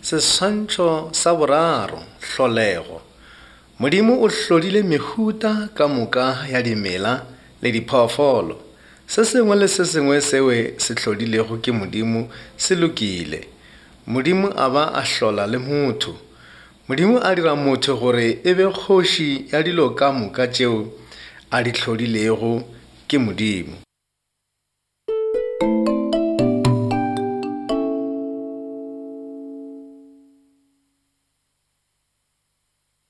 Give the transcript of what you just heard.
Seswantšho sa boraro, Hlolego. Modimo o hlodile mehuta ka moka ya dimela le diphoofolo. Se sengwe le se sengwe seo se hlodilego ke Modimo se lokile. Modimo a ba a hlola le motho. Modimo a dira motho gore e be kgoši ya dilo ka moka tšeo a di hlodilego ke Modimo.